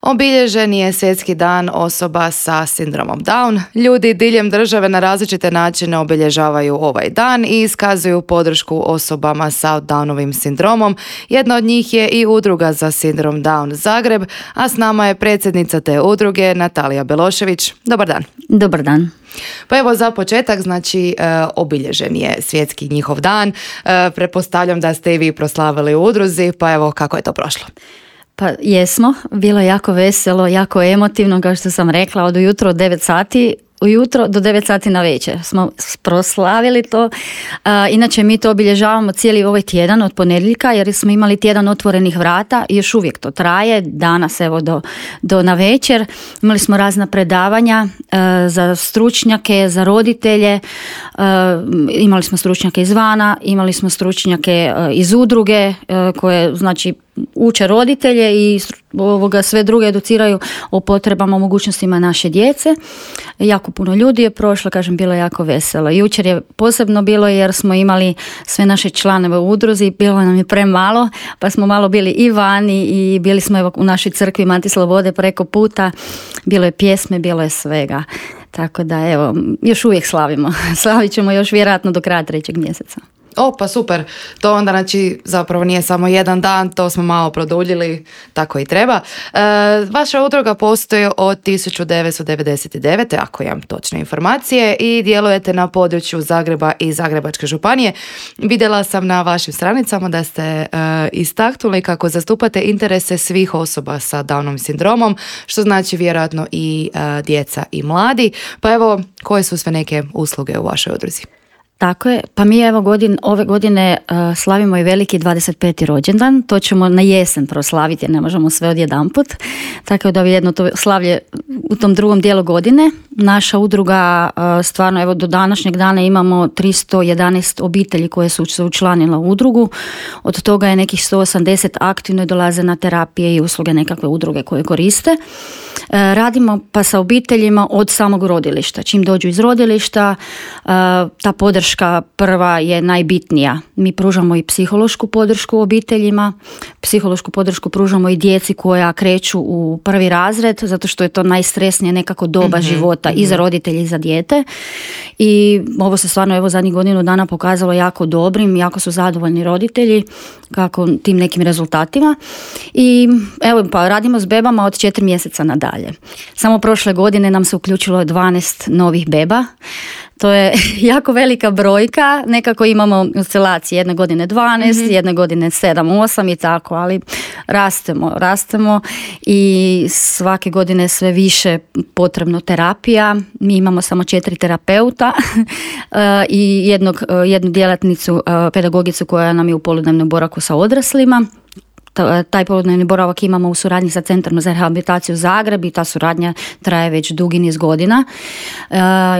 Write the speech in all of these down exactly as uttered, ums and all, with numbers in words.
Obilježen je Svjetski dan osoba sa sindromom Down. Ljudi diljem države na različite načine obilježavaju ovaj dan i iskazuju podršku osobama sa Downovim sindromom. Jedna od njih je i udruga za sindrom Down Zagreb, a s nama je predsjednica te udruge Natalija Belošević. Dobar dan. Dobar dan. Pa evo za početak, znači e, obilježen je Svjetski njihov dan. E, pretpostavljam da ste i vi proslavili u udruzi, pa evo kako je to prošlo? Pa jesmo, bilo je jako veselo, jako emotivno, kao što sam rekla, od ujutro od devet sati ujutro do devet sati na večer smo proslavili to. A, inače mi to obilježavamo cijeli ovaj tjedan od ponedjeljka, jer smo imali tjedan otvorenih vrata i još uvijek to traje, danas evo do, do na večer. Imali smo razna predavanja a, za stručnjake, za roditelje, a, imali smo stručnjake izvana, imali smo stručnjake a, iz udruge a, koje znači uče roditelje i ovoga sve druge educiraju o potrebama, o mogućnostima naše djece. Jako puno ljudi je prošlo, kažem, bilo je jako veselo. Jučer je posebno bilo jer smo imali sve naše članove u udruzi, bilo nam je premalo, pa smo malo bili i vani i bili smo evo u našoj crkvi Mati Slobode preko puta. Bilo je pjesme, bilo je svega. Tako da evo, još uvijek slavimo. Slavit ćemo još vjerojatno do kraja trećeg mjeseca. O, pa super. To onda znači zapravo nije samo jedan dan, to smo malo produljili, tako i treba. E, vaša udruga postoji od tisuću devetsto devedeset devete. ako imam točne informacije, i djelujete na području Zagreba i Zagrebačke županije. Vidjela sam na vašim stranicama da ste e, istaknuli kako zastupate interese svih osoba sa Downovim sindromom, što znači vjerojatno i e, djeca i mladi. Pa evo, koje su sve neke usluge u vašoj udruzi? Tako je, pa mi evo godin, ove godine uh, slavimo i veliki dvadeset peti rođendan, to ćemo na jesen proslaviti jer ne možemo sve odjedanput, tako da je jedno to slavlje u tom drugom dijelu godine. Naša udruga uh, stvarno evo do današnjeg dana imamo tristo jedanaest obitelji koje su se učlanile u udrugu, od toga je nekih sto osamdeset aktivno dolaze na terapije i usluge nekakve udruge koje koriste. Uh, radimo pa sa obiteljima od samog rodilišta, čim dođu iz rodilišta, uh, ta podrška prva je najbitnija. Mi pružamo i psihološku podršku obiteljima, psihološku podršku pružamo i djeci koja kreću u prvi razred, zato što je to najstresnije nekako doba mm-hmm, života mm-hmm. i za roditelje i za dijete. I ovo se stvarno evo zadnjih godinu dana pokazalo jako dobrim, jako su zadovoljni roditelji kako tim nekim rezultatima. I evo pa radimo s bebama od četiri mjeseca nadalje. Samo prošle godine nam se uključilo dvanaest novih beba. To je jako velika brojka, nekako imamo oscilacije, jedne godine dvanaest, mm-hmm. jedne godine sedam, osam i tako, ali rastemo, rastemo i svake godine sve više potrebno terapija. Mi imamo samo četiri terapeuta i jednog, jednu djelatnicu, pedagogicu koja nam je u poludnevnom boravku sa odraslima. Taj poludnevni boravak imamo u suradnji sa Centrom za rehabilitaciju Zagreb i ta suradnja traje već dugi niz godina. E,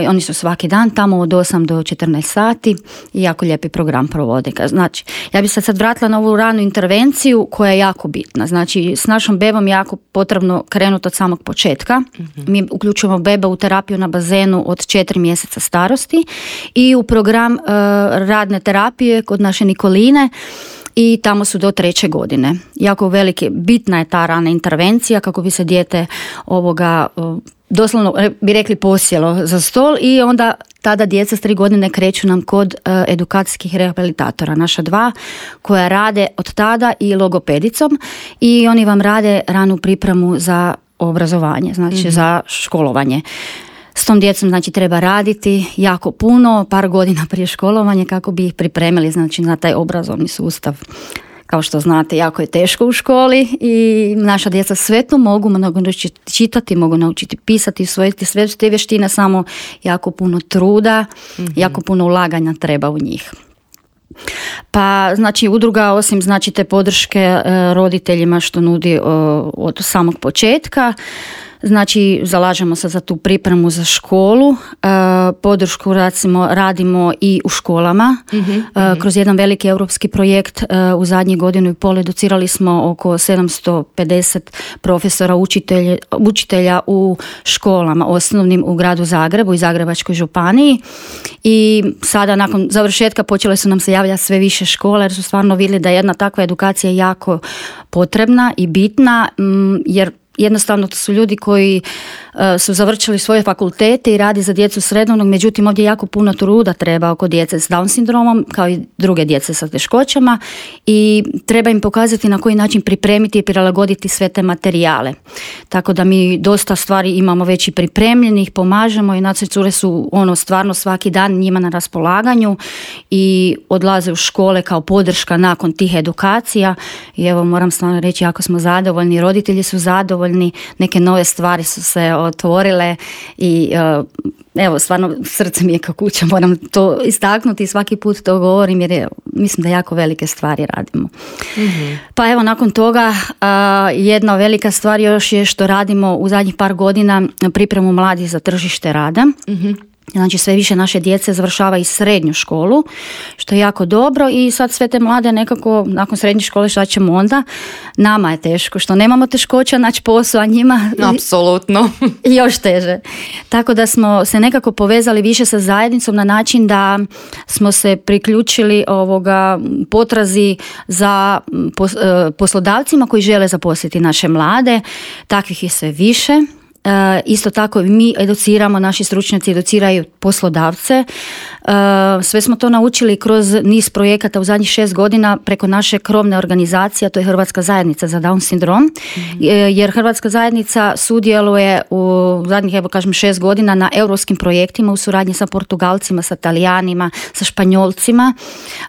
oni su svaki dan tamo od osam do četrnaest sati i jako lijepi program provode. Znači, ja bih se sad vratila na ovu ranu intervenciju koja je jako bitna. Znači, s našom bebom je jako potrebno krenuti od samog početka. Mm-hmm. Mi uključujemo bebe u terapiju na bazenu od četiri mjeseca starosti i u program e, radne terapije kod naše Nikoline, i tamo su do treće godine. Jako velike, bitna je ta rana intervencija kako bi se dijete ovoga doslovno bi rekli posjelo za stol i onda tada djeca s tri godine kreću nam kod uh, edukacijskih rehabilitatora, naša dva koja rade od tada i logopedicom i oni vam rade ranu pripremu za obrazovanje, znači mm-hmm. za školovanje. S tom djecom znači treba raditi jako puno, par godina prije školovanja kako bi ih pripremili znači na taj obrazovni sustav. Kao što znate, jako je teško u školi i naša djeca sve to mogu, mogu naučiti čitati, mogu naučiti pisati, usvojiti sve te vještine, samo jako puno truda, mm-hmm. jako puno ulaganja treba u njih. Pa znači udruga osim znači te podrške e, roditeljima što nudi e, od samog početka, znači zalažemo se za tu pripremu za školu, e, podršku radimo, radimo i u školama, mm-hmm. e, kroz jedan veliki europski projekt e, u zadnjih godinu i pol educirali smo oko sedamsto pedeset profesora učitelja, učitelja u školama osnovnim u gradu Zagrebu i Zagrebačkoj županiji i sada nakon završetka počele su nam se javljati sve više škola jer su stvarno vidjeli da je jedna takva edukacija jako potrebna i bitna m, jer jednostavno to su ljudi koji uh, su završili svoje fakultete i radi za djecu srednjeg, međutim ovdje jako puno truda treba oko djece s Down sindromom, kao i druge djece sa teškoćama, i treba im pokazati na koji način pripremiti i prilagoditi sve te materijale. Tako da mi dosta stvari imamo već i pripremljenih, pomažemo, i naše cure su ono stvarno svaki dan njima na raspolaganju i odlaze u škole kao podrška nakon tih edukacija. I evo, moram stvarno reći, jako smo zadovoljni, roditelji su zadovoljni, neke nove stvari su se otvorile i uh, evo, stvarno srce mi je kao kuća, moram to istaknuti i svaki put to govorim, jer je, mislim da jako velike stvari radimo. Mm-hmm. Pa evo, nakon toga uh, jedna velika stvar još je što radimo u zadnjih par godina pripremu mladih za tržište rada. Mm-hmm. Znači sve više naše djece završava i srednju školu, što je jako dobro, i sad sve te mlade nekako nakon srednje škole šta ćemo onda? Nama je teško, što nemamo teškoća naći posao, a njima apsolutno još teže. Tako da smo se nekako povezali više sa zajednicom na način da smo se priključili ovoga potrazi za poslodavcima koji žele zaposliti naše mlade. Takvih je sve više. Uh, isto tako mi educiramo, naši stručnjaci educiraju poslodavce. Uh, sve smo to naučili kroz niz projekata u zadnjih šest godina preko naše krovne organizacije, a to je Hrvatska zajednica za Down sindrom, mm-hmm. jer Hrvatska zajednica sudjeluje u zadnjih, evo kažem, šest godina na europskim projektima u suradnji sa Portugalcima, sa Talijanima, sa Španjolcima,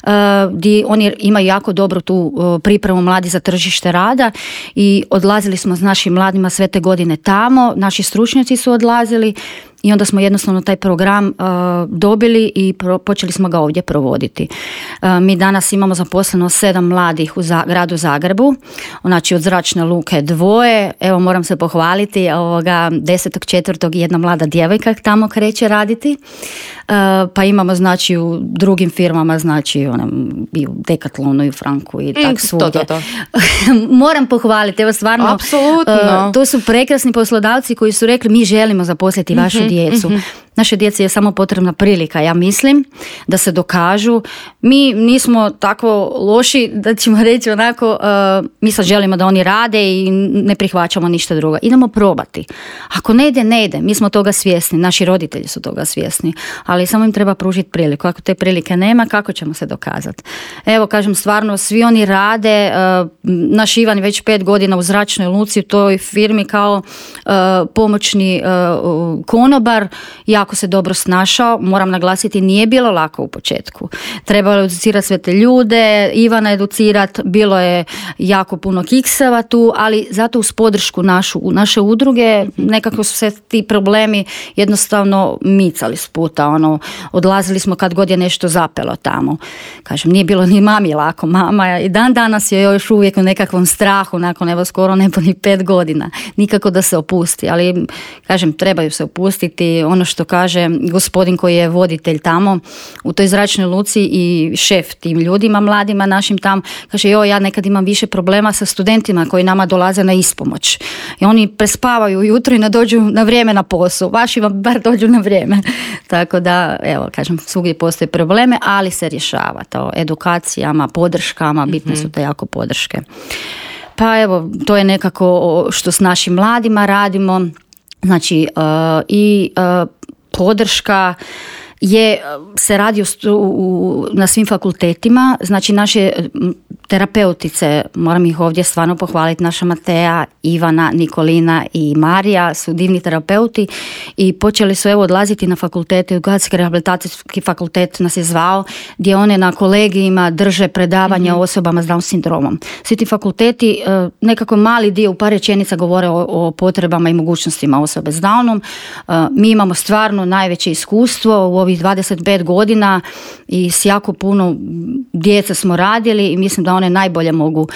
uh, gdje oni imaju jako dobru tu uh, pripremu mladi za tržište rada, i odlazili smo s našim mladima sve te godine tamo. Naši stručnjaci su odlazili i onda smo jednostavno taj program uh, dobili i pro, počeli smo ga ovdje provoditi. Uh, mi danas imamo zaposleno sedam mladih u za, gradu Zagrebu, znači od Zračne luke dvoje, evo moram se pohvaliti, ovoga desetog četvrtog jedna mlada djevojka tamo kreće raditi, uh, pa imamo znači u drugim firmama, znači onem, i u Decathlonu i u Franku i tak svugdje. To, to, to. Moram pohvaliti, evo stvarno, apsolutno. Uh, to su prekrasni poslodavci koji su rekli mi želimo zaposliti vašu mm-hmm. djecu. Mm-hmm. Naše djeci je samo potrebna prilika, ja mislim, da se dokažu. Mi nismo tako loši da ćemo reći onako, uh, mi sad želimo da oni rade i ne prihvaćamo ništa drugo. Idemo probati. Ako ne ide, ne ide. Mi smo toga svjesni, naši roditelji su toga svjesni, ali samo im treba pružiti priliku. Ako te prilike nema, kako ćemo se dokazati? Evo, kažem, stvarno, svi oni rade. Uh, naš Ivan je već pet godina u Zračnoj luci, u toj firmi kao uh, pomoćni uh, konobar. Jako se dobro snašao, moram naglasiti, nije bilo lako u početku. Trebalo je educirati sve te ljude, Ivana educirati, bilo je jako puno kikseva tu, ali zato uz podršku našu, naše udruge, nekako su se ti problemi jednostavno micali s puta, ono, odlazili smo kad god je nešto zapelo tamo. Kažem, nije bilo ni mami lako, mama i dan danas je još uvijek u nekakvom strahu, nakon evo skoro nepunih pet godina, nikako da se opusti, ali kažem, trebaju se opustiti. Ono što kaže gospodin koji je voditelj tamo u toj Zračnoj luci i šef tim ljudima mladima našim tam, kaže, joj, ja nekad imam više problema sa studentima koji nama dolaze na ispomoć i oni prespavaju ujutro i ne dođu na vrijeme na posao, vaši vam bar dođu na vrijeme. Tako da, evo, kažem, svugdje postoje probleme, ali se rješava to edukacijama, podrškama, bitne su te jako podrške. Pa evo, to je nekako što s našim mladima radimo. Znači, uh, i uh, podrška je, se radi u, u, na svim fakultetima, znači naše terapeutice, moram ih ovdje stvarno pohvaliti, naša Mateja, Ivana, Nikolina i Marija su divni terapeuti i počeli su evo odlaziti na fakultete, Edukacijski rehabilitacijski fakultet nas je zvao, gdje one na kolegijima drže predavanja mm-hmm. osobama s Down sindromom. Svi ti fakulteti, nekako mali dio u par rečenica govore o, o potrebama i mogućnostima osobe s Downom. Mi imamo stvarno najveće iskustvo u ovih dvadeset pet godina i s jako puno djece smo radili i mislim da one najbolje mogu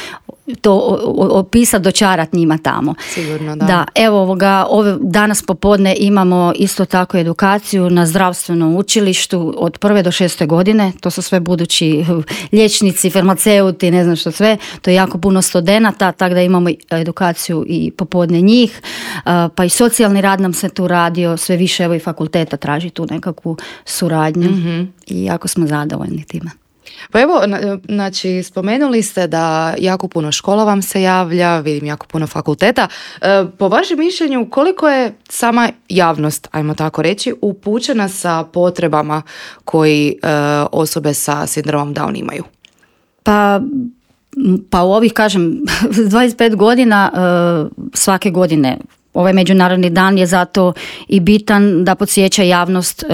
to opisati, dočarati njima tamo. Sigurno, da. Da, evo ovoga, ove, danas popodne imamo isto tako edukaciju na zdravstvenom učilištu od prve do šeste godine, to su sve budući liječnici, farmaceuti, ne znam što sve, to je jako puno studenata, tako da imamo edukaciju i popodne njih, pa i socijalni rad nam se tu radio, sve više evo i fakulteta traži tu nekakvu suradnju mm-hmm. i jako smo zadovoljni time. Pa evo, znači, spomenuli ste da jako puno škola vam se javlja, vidim jako puno fakulteta. Po vašem mišljenju, koliko je sama javnost, ajmo tako reći, upućena sa potrebama koji osobe sa sindromom Down imaju? Pa... Pa u ovih, kažem, dvadeset pet godina svake godine ovaj međunarodni dan je zato i bitan da podsjeća javnost e,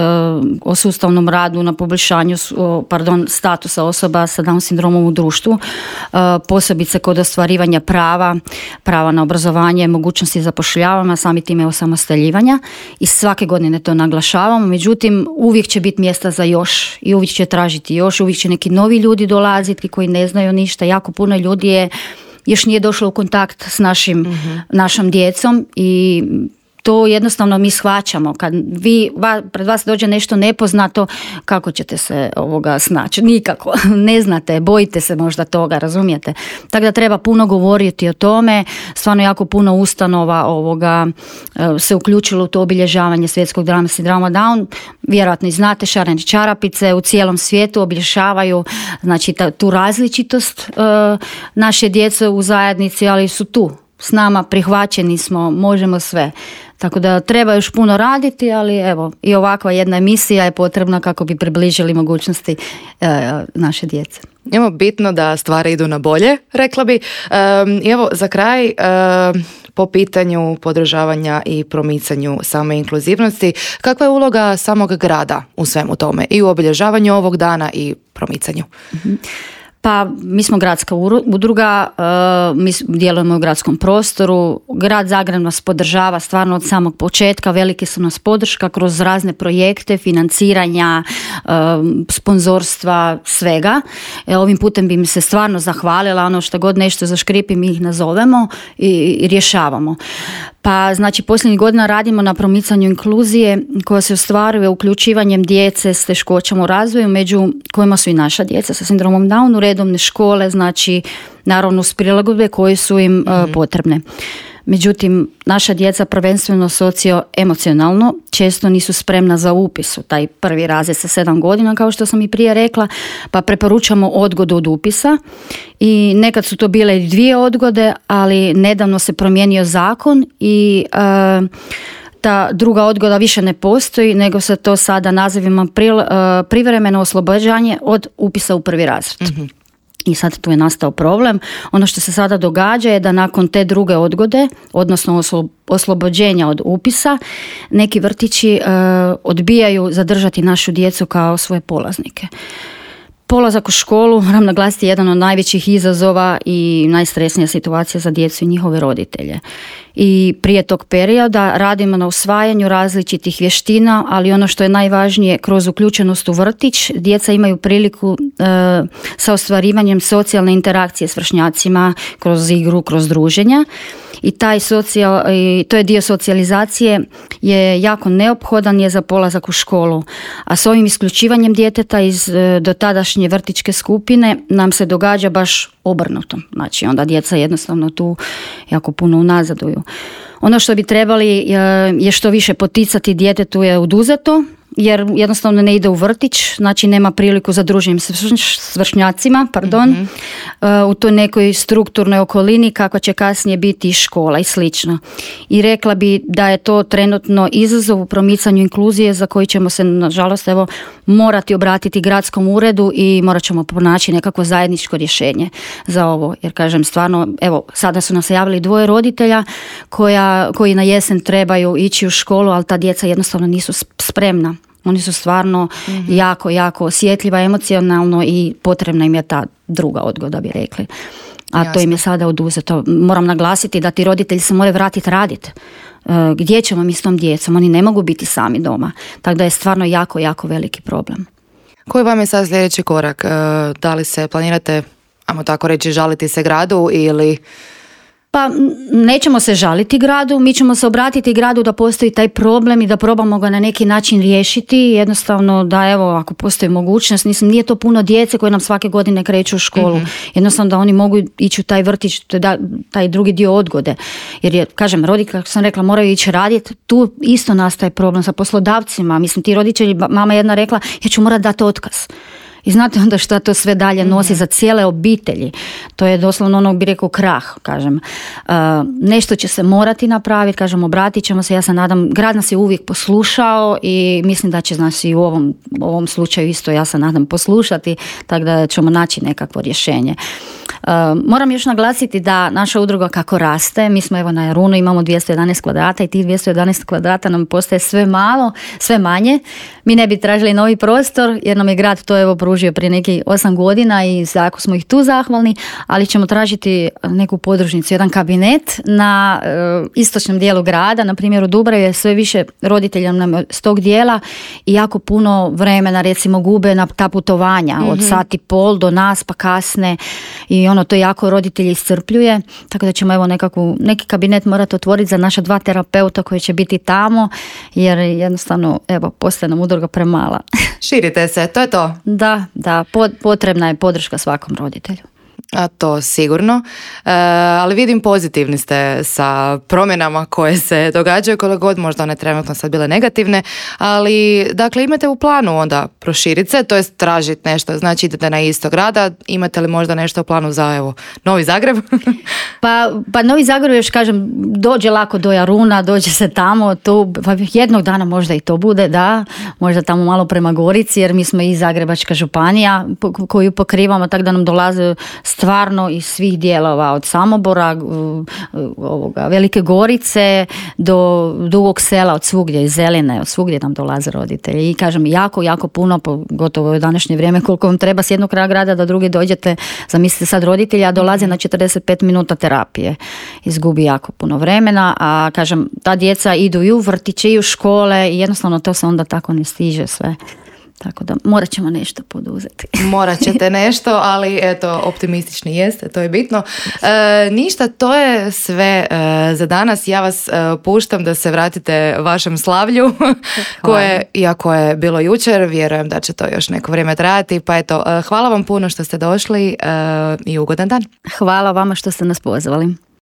o sustavnom radu na poboljšanju o, pardon, statusa osoba sa Down sindromom u društvu, e, posebice kod ostvarivanja prava, prava na obrazovanje, mogućnosti zapošljavanja, sami time osamostaljivanja i svake godine to naglašavamo. Međutim, uvijek će biti mjesta za još i uvijek će tražiti još, uvijek će neki novi ljudi dolaziti koji ne znaju ništa. Jako puno ljudi je još nije došlo u kontakt s našim, mm-hmm. našom djecom i to jednostavno mi shvaćamo. Kad vi, va, pred vas dođe nešto nepoznato, kako ćete se ovoga snaći? Nikako. Ne znate, bojite se možda toga, razumijete? Tako da treba puno govoriti o tome. Stvarno jako puno ustanova ovoga se uključilo u to obilježavanje svjetskog dana sindroma Down. Vjerojatno i znate, šarene čarapice u cijelom svijetu obilježavaju, znači ta, tu različitost e, naše djece u zajednici, ali su tu s nama, prihvaćeni smo, možemo sve. Tako da treba još puno raditi, ali evo, i ovakva jedna emisija je potrebna kako bi približili mogućnosti e, naše djece. Evo, bitno da stvari idu na bolje, rekla bi. E, evo, za kraj, e, po pitanju podržavanja i promicanju same inkluzivnosti, kakva je uloga samog grada u svemu tome i u obilježavanju ovog dana i promicanju? Mm-hmm. Pa mi smo gradska udruga, mi djelujemo u gradskom prostoru, grad Zagreb nas podržava stvarno od samog početka, velike su nas podrška kroz razne projekte, financiranja, sponzorstva, svega. Ovim putem bi mi se stvarno zahvalila, ono što god nešto zaškripi mi ih nazovemo i, i rješavamo. Pa znači posljednjih godina radimo na promicanju inkluzije koja se ostvaruje uključivanjem djece s teškoćama u razvoju, među kojima su i naša djeca sa sindromom Down, u redovne škole, znači naravno s prilagodbe koje su im mm-hmm. uh, potrebne. Međutim, naša djeca prvenstveno socio-emocionalno često nisu spremna za upis u taj prvi razred sa sedam godina, kao što sam i prije rekla, pa preporučamo odgodu od upisa i nekad su to bile i dvije odgode, ali nedavno se promijenio zakon i uh, ta druga odgoda više ne postoji, nego se to sada nazivima pri, uh, privremeno oslobađanje od upisa u prvi razred. Mm-hmm. I sad tu je nastao problem. Ono što se sada događa je da nakon te druge odgode, odnosno oslo, oslobođenja od upisa, neki vrtići uh, odbijaju zadržati našu djecu kao svoje polaznike. Polazak u školu, moram naglasiti, je jedan od najvećih izazova i najstresnija situacija za djecu i njihove roditelje. I prije tog perioda radimo na usvajanju različitih vještina, ali ono što je najvažnije, kroz uključenost u vrtić, djeca imaju priliku e, sa ostvarivanjem socijalne interakcije s vršnjacima, kroz igru, kroz druženja. I taj socijal, i to je dio socijalizacije, je jako neophodan je za polazak u školu. A s ovim isključivanjem djeteta iz e, dotadašnje vrtićke skupine nam se događa baš obrnuto. Znači onda djeca jednostavno tu jako puno unazaduju. Ono što bi trebali je što više poticati djetetu je oduzeto, jer jednostavno ne ide u vrtić, znači nema priliku za druženjem s vršnjacima, pardon, mm-hmm. u toj nekoj strukturnoj okolini kakva će kasnije biti i škola i slično. I rekla bi da je to trenutno izazov u promicanju inkluzije za koji ćemo se, nažalost, evo, morati obratiti gradskom uredu i morat ćemo pronaći nekako zajedničko rješenje za ovo. Jer kažem, stvarno, evo, sada su nas javili dvoje roditelja koja, koji na jesen trebaju ići u školu, ali ta djeca jednostavno nisu spremna. Oni su stvarno mm-hmm. jako, jako osjetljiva emocionalno i potrebna im je ta druga odgoda, bi rekli. A Jasne. To im je sada oduzeto. Moram naglasiti da ti roditelji se moraju vratiti raditi. Gdje ćemo mi s tom djecom? Oni ne mogu biti sami doma. Tako da je stvarno jako, jako veliki problem. Koji vam je sad sljedeći korak? Da li se planirate, ajmo tako reći, žaliti se gradu ili... Pa nećemo se žaliti gradu, mi ćemo se obratiti gradu da postoji taj problem i da probamo ga na neki način riješiti. Jednostavno da, evo, ako postoji mogućnost, mislim, nije to puno djece koje nam svake godine kreću u školu. Mm-hmm. Jednostavno da oni mogu ići u taj vrtić, taj drugi dio odgode. Jer je, kažem, roditelji, kako sam rekla, moraju ići raditi. Tu isto nastaje problem sa poslodavcima. Mislim, ti roditelji, mama jedna rekla, ja ću morati dati otkaz. I znate onda šta to sve dalje nosi mm-hmm. za cijele obitelji. To je doslovno ono, bi rekao, krah, kažem. Uh, nešto će se morati napraviti, kažem, obratit ćemo se, ja se nadam, grad nas je uvijek poslušao i mislim da će nas i u ovom, ovom slučaju isto, ja se nadam, poslušati, tako da ćemo naći nekakvo rješenje. Uh, moram još naglasiti da naša udruga kako raste, mi smo evo na Jarunu, imamo dvjesto jedanaest kvadrata i tih dvjesto jedanaest kvadrata nam postaje sve malo, sve manje. Mi ne bi tražili novi prostor jer nam je grad to evo pružio prije nekih osam godina i jako smo ih tu zahvalni, ali ćemo tražiti neku podružnicu, jedan kabinet na uh, istočnom dijelu grada, na primjer u Dubravi je sve više roditelja nam s tog dijela i jako puno vremena recimo gube na ta putovanja, mm-hmm. od sat i pol do nas pa kasne i ono to jako roditelji iscrpljuje, tako da ćemo evo nekakvu, neki kabinet morati otvoriti za naša dva terapeuta koji će biti tamo, jer jednostavno evo postaje nam udruga premala. Širite se, to je to. Da, da, potrebna je podrška svakom roditelju. A to sigurno, e, ali vidim pozitivni ste sa promjenama koje se događaju, koliko god možda one trenutno sad bile negativne, ali dakle imate u planu onda proširiti se, to jest tražiti nešto, znači idete na isto grada, imate li možda nešto u planu za evo Novi Zagreb? pa, pa Novi Zagreb još kažem, dođe lako do Jaruna, dođe se tamo, to, pa jednog dana možda i to bude, da, možda tamo malo prema Gorici, jer mi smo i Zagrebačka županija koju pokrivamo, tako da nam dolaze stvarno iz svih dijelova, od Samobora, ovoga, Velike Gorice do Dugog Sela, od svugdje, iz Zeline, od svugdje nam dolaze roditelji. I kažem, jako, jako puno, gotovo u današnje vrijeme, koliko vam treba s jednog kraja grada da drugi dođete, zamislite sad roditelja, a dolaze na četrdeset pet minuta terapije. Izgubi jako puno vremena, a kažem, ta djeca idu i u vrtiće i u škole i jednostavno to se onda tako ne stiže sve. Tako da morat ćemo nešto poduzeti. Morat ćete nešto, ali eto, optimistični jeste, to je bitno. E, ništa, to je sve e, za danas. Ja vas e, puštam da se vratite vašem slavlju, koje, iako je bilo jučer, vjerujem da će to još neko vrijeme trajati. Pa eto, e, hvala vam puno što ste došli e, i ugodan dan. Hvala vama što ste nas pozvali.